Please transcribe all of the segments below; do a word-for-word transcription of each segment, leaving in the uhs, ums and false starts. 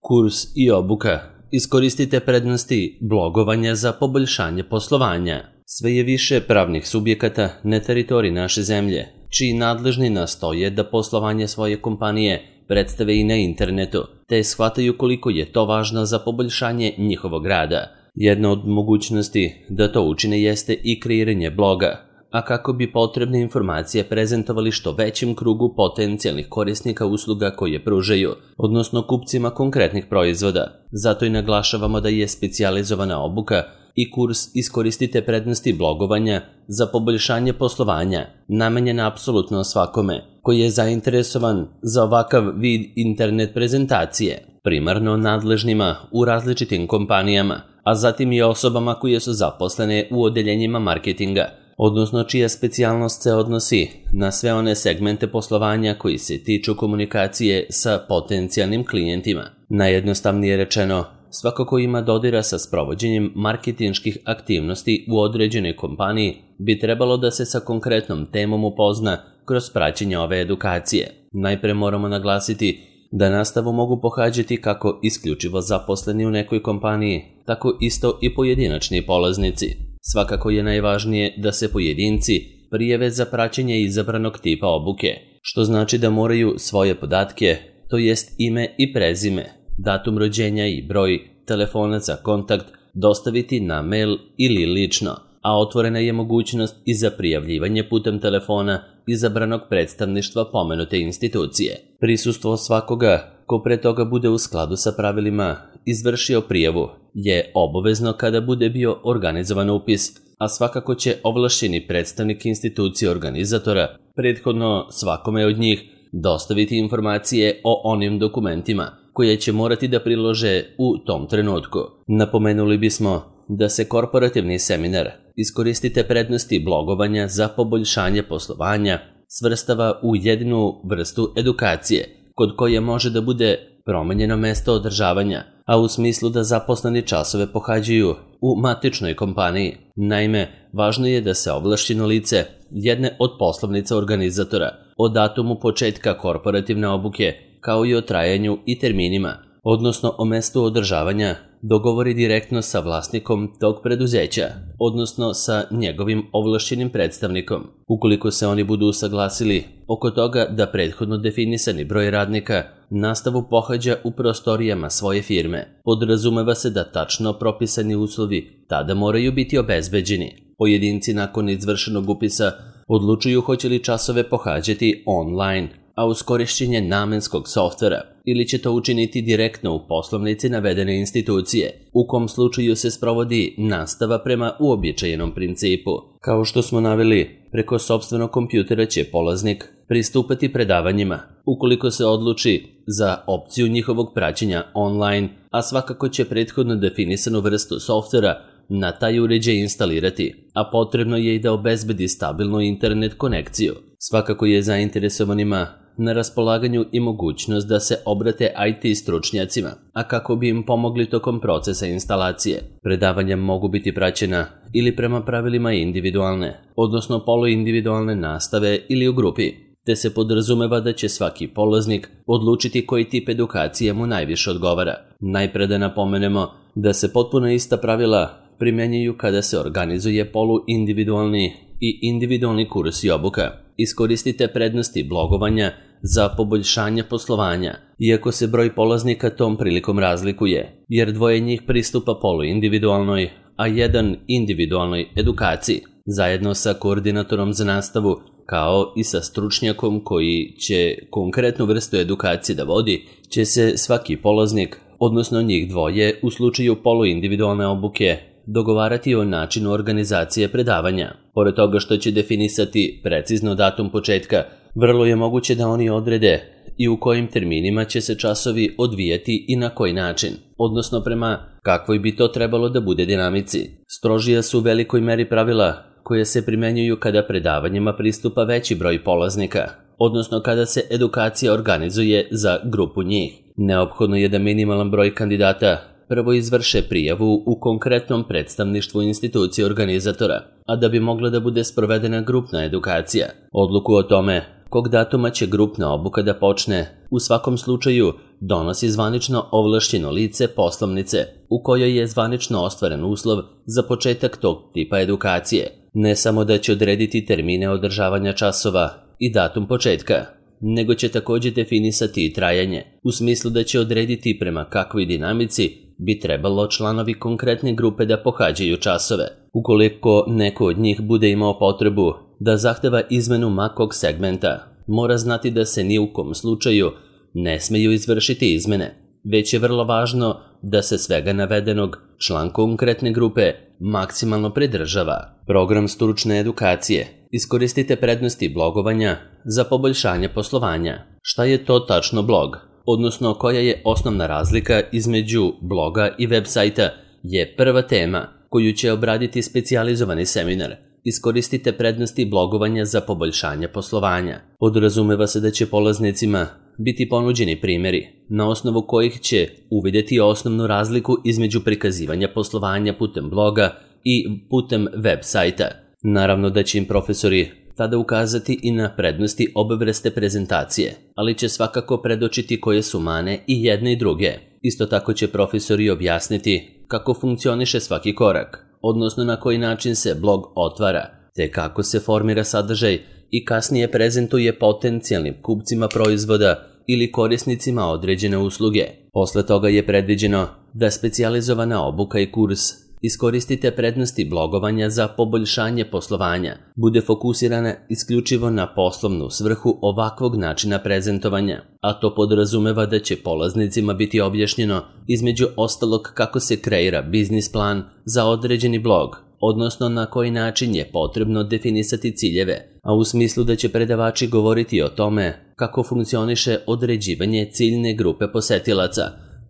Kurs i obuka. Iskoristite prednosti blogovanja za poboljšanje poslovanja. Sve je više pravnih subjekata na teritoriji naše zemlje, čiji nadležni nastoje da poslovanje svoje kompanije predstave i na internetu, te shvataju koliko je to važno za poboljšanje njihovog rada. Jedna od mogućnosti da to učine jeste i kreiranje bloga, a kako bi potrebne informacije prezentovali što većem krugu potencijalnih korisnika usluga koje pružaju, odnosno kupcima konkretnih proizvoda. Zato i naglašavamo da je specijalizovana obuka i kurs Iskoristite prednosti blogovanja za poboljšanje poslovanja namenjena apsolutno svakome koji je zainteresovan za ovakav vid internet prezentacije, primarno nadležnima u različitim kompanijama, a zatim i osobama koje su zaposlene u odeljenjima marketinga, odnosno čija specijalnost se odnosi na sve one segmente poslovanja koji se tiču komunikacije sa potencijalnim klijentima. Najjednostavnije rečeno, svako ko ima dodira sa sprovođenjem marketinških aktivnosti u određenoj kompaniji bi trebalo da se sa konkretnom temom upozna kroz praćenje ove edukacije. Najpre moramo naglasiti da nastavu mogu pohađati kako isključivo zaposleni u nekoj kompaniji, tako isto i pojedinačni polaznici. Svakako je najvažnije da se pojedinci prijave za praćenje izabranog tipa obuke, što znači da moraju svoje podatke, to jest ime i prezime, datum rođenja i broj telefona za kontakt dostaviti na mail ili lično, a otvorena je mogućnost i za prijavljivanje putem telefona izabranog predstavništva pomenute institucije. Prisustvo svakoga ko pre toga bude u skladu sa pravilima izvršio prijavu je obavezno kada bude bio organizovan upis, a svakako će ovlašćeni predstavnik institucije organizatora prethodno svakome od njih dostaviti informacije o onim dokumentima koje će morati da prilože u tom trenutku. Napomenuli bismo da se korporativni seminar Iskoristite prednosti blogovanja za poboljšanje poslovanja svrstava u jednu vrstu edukacije, kod koje može da bude promenjeno mesto održavanja, a u smislu da zaposleni časove pohađaju u matičnoj kompaniji. Naime, važno je da se ovlašćeno lice jedne od poslovnica organizatora o datumu početka korporativne obuke, kao i o trajanju i terminima, odnosno o mestu održavanja, dogovori direktno sa vlasnikom tog preduzeća, odnosno sa njegovim ovlašćenim predstavnikom. Ukoliko se oni budu usaglasili oko toga da prethodno definisani broj radnika nastavu pohađa u prostorijama svoje firme, podrazumeva se da tačno propisani uslovi tada moraju biti obezbeđeni. Pojedinci nakon izvršenog upisa odlučuju hoće li časove pohađati online, a uz korišćenje namenskog softvera, ili će to učiniti direktno u poslovnici navedene institucije, u kom slučaju se sprovodi nastava prema uobičajenom principu. Kao što smo naveli, preko sopstvenog kompjutera će polaznik pristupati predavanjima, ukoliko se odluči za opciju njihovog praćenja online, a svakako će prethodno definisanu vrstu softvera na taj uređaj instalirati, a potrebno je i da obezbedi stabilnu internet konekciju. Svakako je zainteresovanima na raspolaganju i mogućnost da se obrate I T stručnjacima, a kako bi im pomogli tokom procesa instalacije. Predavanja mogu biti praćena ili prema pravilima individualne, odnosno poluindividualne nastave ili u grupi, te se podrazumeva da će svaki polaznik odlučiti koji tip edukacije mu najviše odgovara. Najpre da napomenemo da se potpuno ista pravila primjenjuju kada se organizuje poluindividualni i individualni kurs i obuka. Iskoristite prednosti blogovanja za poboljšanje poslovanja, iako se broj polaznika tom prilikom razlikuje, jer dvoje njih pristupa poluindividualnoj, a jedan individualnoj edukaciji, zajedno sa koordinatorom za nastavu, kao i sa stručnjakom koji će konkretnu vrstu edukacije da vodi, će se svaki polaznik, odnosno njih dvoje, u slučaju poluindividualne obuke, dogovarati o načinu organizacije predavanja. Pored toga što će definisati precizno datum početka, vrlo je moguće da oni odrede i u kojim terminima će se časovi odvijati i na koji način, odnosno prema kakvoj bi to trebalo da bude dinamici. Strožija su u velikoj meri pravila koje se primenjuju kada predavanjima pristupa veći broj polaznika, odnosno kada se edukacija organizuje za grupu njih. Neophodno je da minimalan broj kandidata prvo izvrše prijavu u konkretnom predstavništvu institucije organizatora, a da bi mogla da bude sprovedena grupna edukacija. Odluku o tome kog datuma će grupna obuka da počne, u svakom slučaju donosi zvanično ovlašćeno lice poslovnice u kojoj je zvanično ostvaren uslov za početak tog tipa edukacije. Ne samo da će odrediti termine održavanja časova i datum početka, nego će također definisati i trajanje, u smislu da će odrediti prema kakvoj dinamici bi trebalo članovi konkretne grupe da pohađaju časove. Ukoliko neko od njih bude imao potrebu da zahteva izmenu makog segmenta, mora znati da se ni u kom slučaju ne smeju izvršiti izmene, već je vrlo važno da se svega navedenog član konkretne grupe maksimalno pridržava. Program stručne edukacije. Iskoristite prednosti blogovanja za poboljšanje poslovanja. Šta je to tačno blog? Odnosno koja je osnovna razlika između bloga i web sajta je prva tema koju će obraditi specijalizovani seminar. Iskoristite prednosti blogovanja za poboljšanje poslovanja. Podrazumeva se da će polaznicima biti ponuđeni primjeri, na osnovu kojih će uvidjeti osnovnu razliku između prikazivanja poslovanja putem bloga i putem web sajta. Naravno da će im profesori tada ukazati i na prednosti obe vrste prezentacije, ali će svakako predočiti koje su mane i jedne i druge. Isto tako će profesori objasniti kako funkcioniše svaki korak, odnosno na koji način se blog otvara, te kako se formira sadržaj i kasnije prezentuje potencijalnim kupcima proizvoda ili korisnicima određene usluge. Posle toga je predviđeno da specijalizovana obuka i kurs Iskoristite prednosti blogovanja za poboljšanje poslovanja, bude fokusirana isključivo na poslovnu svrhu ovakvog načina prezentovanja, a to podrazumeva da će polaznicima biti objašnjeno između ostalog kako se kreira biznis plan za određeni blog, odnosno na koji način je potrebno definisati ciljeve, a u smislu da će predavači govoriti o tome kako funkcioniše određivanje ciljne grupe posetilaca,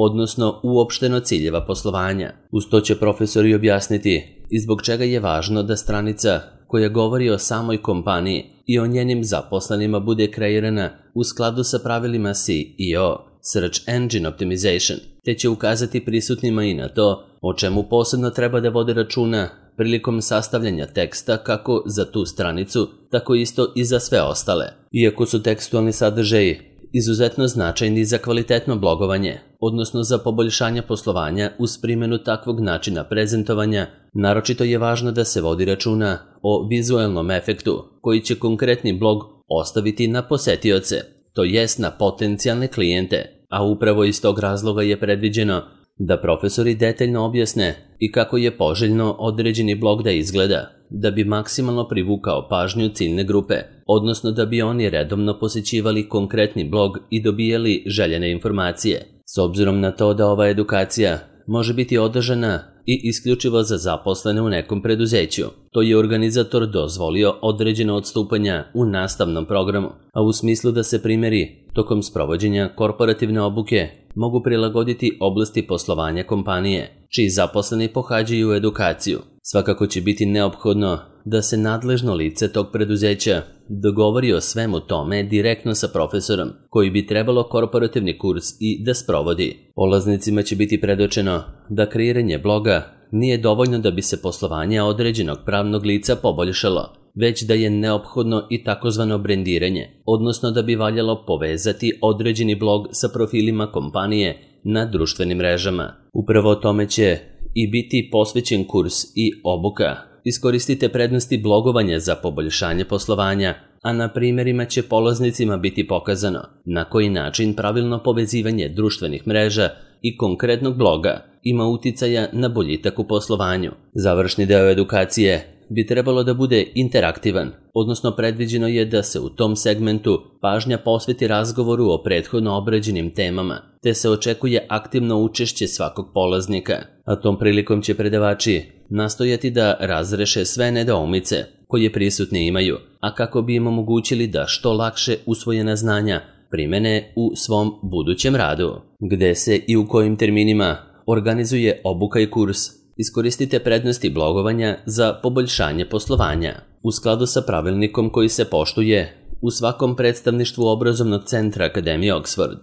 odnosno uopšteno ciljeva poslovanja. Uz to će profesori objasniti i zbog čega je važno da stranica koja govori o samoj kompaniji i o njenim zaposlenima bude kreirana u skladu sa pravilima S E O, Search Engine Optimization, te će ukazati prisutnima i na to o čemu posebno treba da vode računa prilikom sastavljanja teksta kako za tu stranicu, tako isto i za sve ostale. Iako su tekstualni sadržaji izuzetno značajni za kvalitetno blogovanje, odnosno za poboljšanje poslovanja uz primjenu takvog načina prezentovanja, naročito je važno da se vodi računa o vizualnom efektu koji će konkretni blog ostaviti na posetioce, to jest na potencijalne klijente, a upravo iz tog razloga je predviđeno da profesori detaljno objasne i kako je poželjno određeni blog da izgleda, da bi maksimalno privukao pažnju ciljne grupe, odnosno da bi oni redovno posjećivali konkretni blog i dobijali željene informacije. S obzirom na to da ova edukacija može biti održana i isključivo za zaposlene u nekom preduzeću, to je organizator dozvolio određeno odstupanja u nastavnom programu, a u smislu da se primjeri tokom sprovođenja korporativne obuke mogu prilagoditi oblasti poslovanja kompanije, čiji zaposleni pohađaju edukaciju. Svakako će biti neophodno da se nadležno lice tog preduzeća dogovori o svemu tome direktno sa profesorom, koji bi trebalo korporativni kurs i da sprovodi. Polaznicima će biti predočeno da kreiranje bloga nije dovoljno da bi se poslovanje određenog pravnog lica poboljšalo, već da je neophodno i takozvano brendiranje, odnosno da bi valjalo povezati određeni blog sa profilima kompanije na društvenim mrežama. Upravo tome će i biti posvećen kurs i obuka. Iskoristite prednosti blogovanja za poboljšanje poslovanja, a na primjerima će polaznicima biti pokazano na koji način pravilno povezivanje društvenih mreža i konkretnog bloga ima uticaja na boljitak u poslovanju. Završni deo edukacije bi trebalo da bude interaktivan, odnosno predviđeno je da se u tom segmentu pažnja posveti razgovoru o prethodno obrađenim temama, te se očekuje aktivno učešće svakog polaznika, a tom prilikom će predavači nastojati da razreše sve nedoumice koje prisutni imaju, a kako bi im omogućili da što lakše usvojena znanja primene u svom budućem radu. Gde se i u kojim terminima organizuje obuka i kurs, iskoristite prednosti blogovanja za poboljšanje poslovanja. U skladu sa pravilnikom koji se poštuje u svakom predstavništvu obrazovnog centra Akademije Oxford.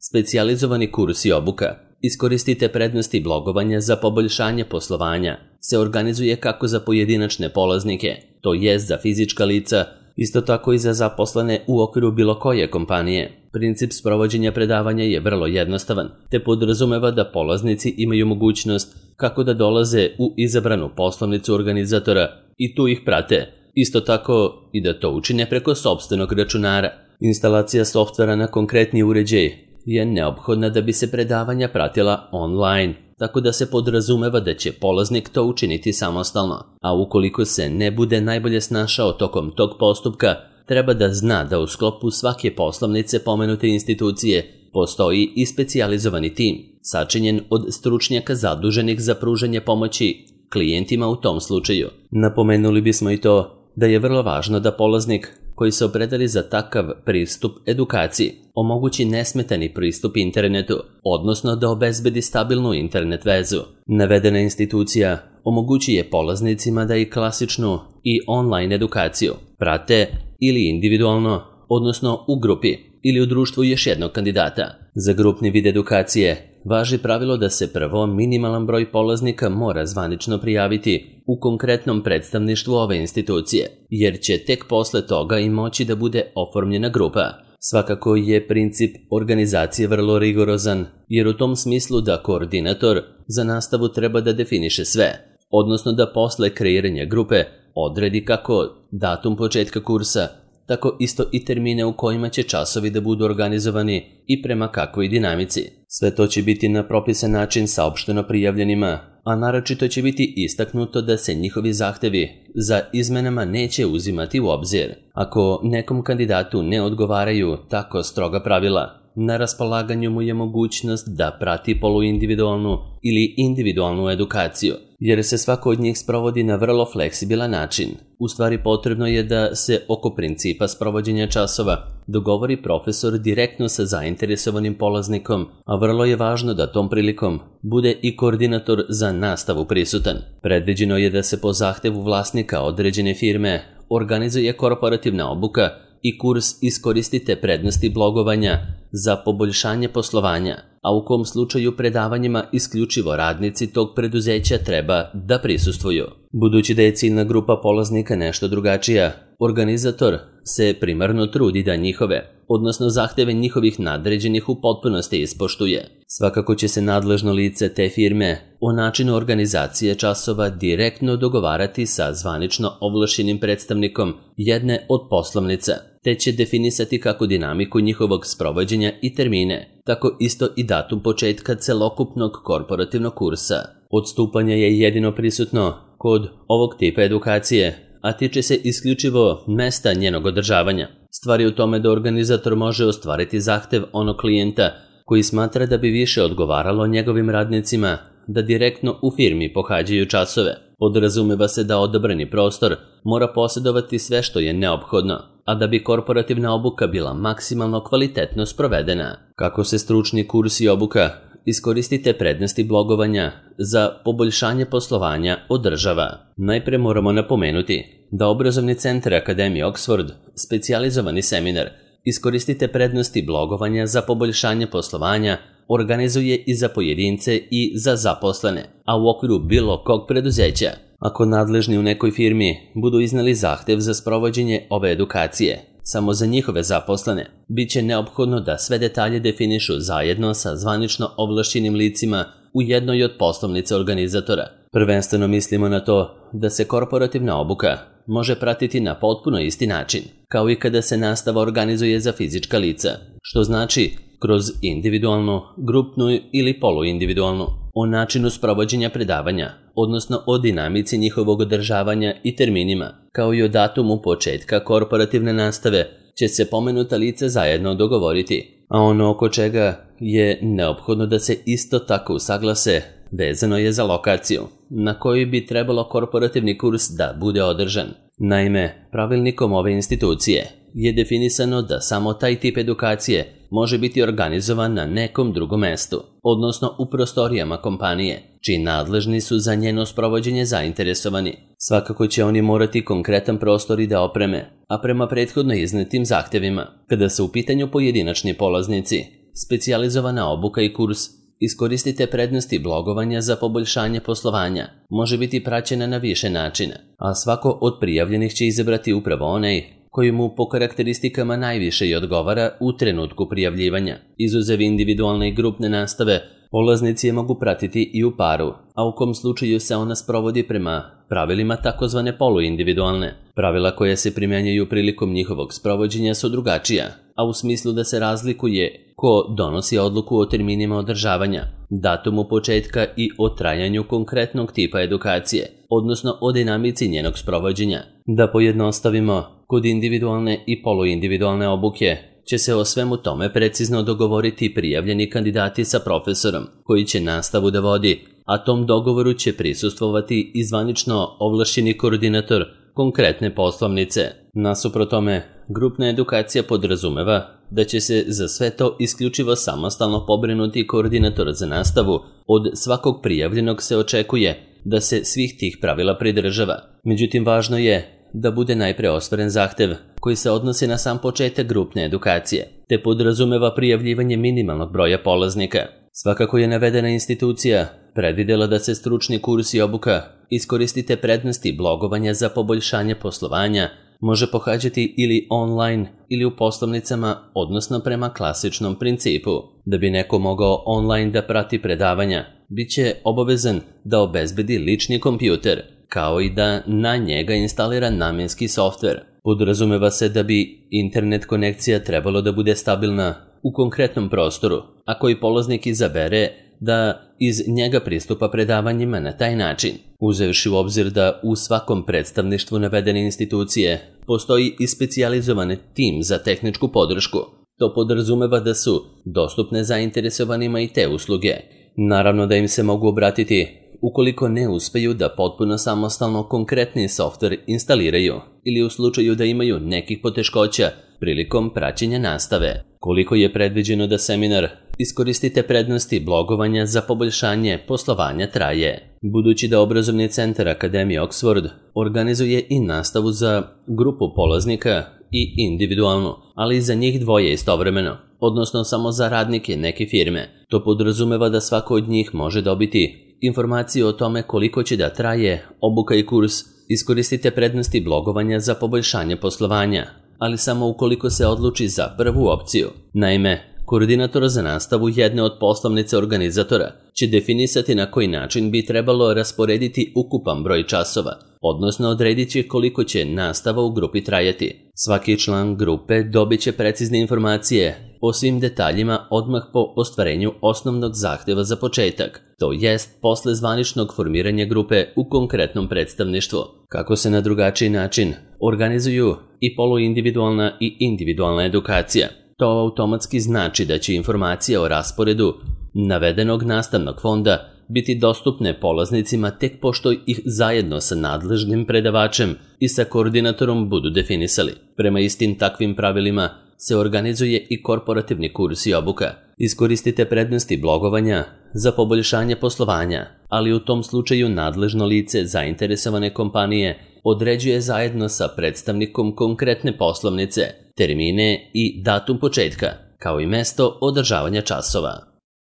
Specijalizovani kurs i obuka. Iskoristite prednosti blogovanja za poboljšanje poslovanja se organizuje kako za pojedinačne polaznike, to jest za fizička lica, Isto tako i za zaposlene u okviru bilo koje kompanije. Princip sprovođenja predavanja je vrlo jednostavan, te podrazumeva da polaznici imaju mogućnost kako da dolaze u izabranu poslovnicu organizatora i tu ih prate. Isto tako i da to učine preko sopstvenog računara. Instalacija softvera na konkretni uređaj je neophodna da bi se predavanja pratila online, tako da se podrazumeva da će polaznik to učiniti samostalno, a ukoliko se ne bude najbolje snašao tokom tog postupka, treba da zna da u sklopu svake poslovnice pomenute institucije postoji i specijalizovani tim, sačinjen od stručnjaka zaduženih za pružanje pomoći klijentima u tom slučaju. Napomenuli bismo i to da je vrlo važno da polaznik koji se opredeli za takav pristup edukaciji omogući nesmetani pristup internetu, odnosno da obezbedi stabilnu internet vezu. Navedena institucija omogućuje polaznicima da i klasičnu i online edukaciju prate ili individualno, odnosno u grupi ili u društvu još jednog kandidata. Za grupni vid edukacije važi pravilo da se prvo minimalan broj polaznika mora zvanično prijaviti u konkretnom predstavništvu ove institucije, jer će tek posle toga i moći da bude oformljena grupa. Svakako je princip organizacije vrlo rigorozan, jer u tom smislu da koordinator za nastavu treba da definiše sve, odnosno da posle kreiranja grupe odredi kako datum početka kursa, tako isto i termine u kojima će časovi da budu organizovani i prema kakvoj dinamici. Sve to će biti na propisan način saopšteno prijavljenima, a naročito će biti istaknuto da se njihovi zahtevi za izmenama neće uzimati u obzir. Ako nekom kandidatu ne odgovaraju tako stroga pravila, na raspolaganju mu je mogućnost da prati poluindividualnu ili individualnu edukaciju, jer se svako od njih sprovodi na vrlo fleksibilan način. U stvari potrebno je da se oko principa sprovođenja časova dogovori profesor direktno sa zainteresovanim polaznikom, a vrlo je važno da tom prilikom bude i koordinator za nastavu prisutan. Predviđeno je da se po zahtevu vlasnika određene firme organizuje korporativna obuka i kurs Iskoristite prednosti blogovanja za poboljšanje poslovanja, a u kom slučaju predavanjima isključivo radnici tog preduzeća treba da prisustvuju. Budući da je ciljna grupa polaznika nešto drugačija, organizator se primarno trudi da njihove, odnosno zahteve njihovih nadređenih u potpunosti ispoštuje. Svakako će se nadležno lice te firme o načinu organizacije časova direktno dogovarati sa zvanično ovlašćenim predstavnikom jedne od poslovnica, te će definisati kako dinamiku njihovog sprovođenja i termine, tako isto i datum početka celokupnog korporativnog kursa. Odstupanje je jedino prisutno kod ovog tipa edukacije, a tiče se isključivo mesta njenog održavanja. Stvar je u tome da organizator može ostvariti zahtev onog klijenta koji smatra da bi više odgovaralo njegovim radnicima da direktno u firmi pohađaju časove. Podrazumeva se da odabrani prostor mora posjedovati sve što je neophodno, a da bi korporativna obuka bila maksimalno kvalitetno sprovedena. Kako se stručni kurs i obuka Iskoristite prednosti blogovanja za poboljšanje poslovanja održava. Najpre moramo napomenuti da obrazovni centar Akademije Oxford, specijalizovani seminar Iskoristite prednosti blogovanja za poboljšanje poslovanja organizuje i za pojedince i za zaposlene, a u okviru bilo kog preduzeća. Ako nadležni u nekoj firmi budu iznali zahtev za sprovođenje ove edukacije, samo za njihove zaposlene, bit će neophodno da sve detalje definišu zajedno sa zvanično ovlašćenim licima u jednoj od poslovnica organizatora. Prvenstveno mislimo na to da se korporativna obuka može pratiti na potpuno isti način, kao i kada se nastava organizuje za fizička lica, što znači kroz individualnu, grupnu ili poluindividualnu, o načinu sprovođenja predavanja, odnosno o dinamici njihovog održavanja i terminima, kao i o datumu početka korporativne nastave, će se pomenuta lica zajedno dogovoriti, a ono oko čega je neophodno da se isto tako usaglase vezano je za lokaciju, na kojoj bi trebalo korporativni kurs da bude održan. Naime, pravilnikom ove institucije je definisano da samo taj tip edukacije može biti organizovan na nekom drugom mestu, odnosno u prostorijama kompanije, čiji nadležni su za njeno sprovođenje zainteresovani. Svakako će oni morati konkretan prostor i da opreme, a prema prethodno iznetim zahtevima. Kada su u pitanju pojedinačni polaznici, specijalizovana obuka i kurs Iskoristite prednosti blogovanja za poboljšanje poslovanja može biti praćena na više načina, a svako od prijavljenih će izabrati upravo onaj koji mu po karakteristikama najviše i odgovara u trenutku prijavljivanja. Izuzev individualne i grupne nastave, polaznici je mogu pratiti i u paru, a u kom slučaju se ona sprovodi prema pravilima takozvane poluindividualne. Pravila koje se primjenjuju prilikom njihovog sprovođenja su drugačija, a u smislu da se razlikuje ko donosi odluku o terminima održavanja, datumu početka i o trajanju konkretnog tipa edukacije, odnosno o dinamici njenog sprovođenja. Da pojednostavimo, kod individualne i poluindividualne obuke će se o svemu tome precizno dogovoriti prijavljeni kandidati sa profesorom, koji će nastavu da vodi, a tom dogovoru će prisustvovati i zvanično ovlašćeni koordinator konkretne poslovnice. Nasuprot tome, grupna edukacija podrazumeva da će se za sve to isključivo samostalno pobrinuti koordinator za nastavu. Od svakog prijavljenog se očekuje da se svih tih pravila pridržava. Međutim, važno je da bude najpre ostvaren zahtev koji se odnosi na sam početak grupne edukacije, te podrazumeva prijavljivanje minimalnog broja polaznika. Svakako je navedena institucija predvidela da se stručni kurs i obuka Iskoristite prednosti blogovanja za poboljšanje poslovanja može pohađati ili online ili u poslovnicama, odnosno prema klasičnom principu. Da bi neko mogao online da prati predavanja, bit će obavezan da obezbedi lični kompjuter, kao i da na njega instalira namenski softver. Podrazumeva se da bi internet konekcija trebalo da bude stabilna u konkretnom prostoru, a koji polaznik izabere da iz njega pristupa predavanjima na taj način. Uzevši u obzir da u svakom predstavništvu navedene institucije postoji i specijalizovan tim za tehničku podršku, to podrazumeva da su dostupne zainteresovanima i te usluge. Naravno da im se mogu obratiti ukoliko ne uspeju da potpuno samostalno konkretni softver instaliraju ili u slučaju da imaju nekih poteškoća prilikom praćenja nastave. Koliko je predviđeno da seminar Iskoristite prednosti blogovanja za poboljšanje poslovanja traje. Budući da obrazovni centar Akademije Oxford organizuje i nastavu za grupu polaznika i individualnu, ali i za njih dvoje istovremeno, odnosno samo za radnike neke firme. To podrazumeva da svako od njih može dobiti informaciju o tome koliko će da traje obuka i kurs Iskoristite prednosti blogovanja za poboljšanje poslovanja, ali samo ukoliko se odluči za prvu opciju. Naime, koordinator za nastavu jedne od poslovnice organizatora će definisati na koji način bi trebalo rasporediti ukupan broj časova, odnosno odredit će koliko će nastava u grupi trajati. Svaki član grupe dobit će precizne informacije o svim detaljima odmah po ostvarenju osnovnog zahteva za početak, to jest posle zvaničnog formiranja grupe u konkretnom predstavništvu. Kako se na drugačiji način organizuju i poluindividualna i individualna edukacija, to automatski znači da će informacija o rasporedu navedenog nastavnog fonda biti dostupne polaznicima tek pošto ih zajedno sa nadležnim predavačem i sa koordinatorom budu definisali. Prema istim takvim pravilima se organizuje i korporativni kurs i obuka. Iskoristite prednosti blogovanja za poboljšanje poslovanja, ali u tom slučaju nadležno lice zainteresovane kompanije određuje zajedno sa predstavnikom konkretne poslovnice termine i datum početka, kao i mesto održavanja časova.